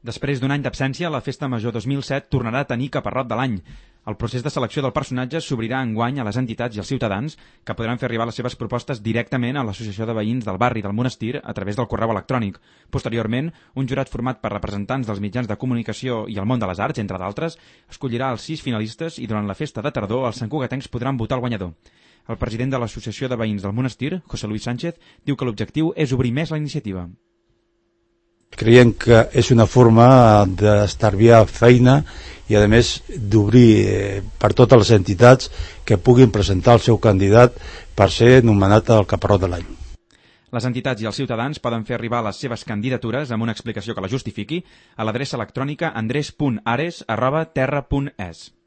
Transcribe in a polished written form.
Després d'un any d'absència, la Festa Major 2007 tornarà a tenir caparrot de l'any. El procés de selecció del personatge s'obrirà enguany a les entitats i als ciutadans, que podran fer arribar les seves propostes directament a l'Associació de Veïns del Barri del Monestir a través del correu electrònic. Posteriorment, un jurat format per representants dels mitjans de comunicació i el món de les arts, entre d'altres, escollirà els 6 finalistes i durant la festa de tardor els santcugatencs podran votar el guanyador. El president de l'Associació de Veïns del Monestir, José Luis Sánchez, diu que l'objectiu és obrir més la iniciativa. Creiem que és una forma d'estalviar feina i a més d'obrir per totes les entitats que puguin presentar el seu candidat per ser nomenat el caparrot de l'any. Les entitats i els ciutadans poden fer arribar les seves candidatures amb una explicació que la justifiqui a l'adreça electrònica andres.ares@terra.es.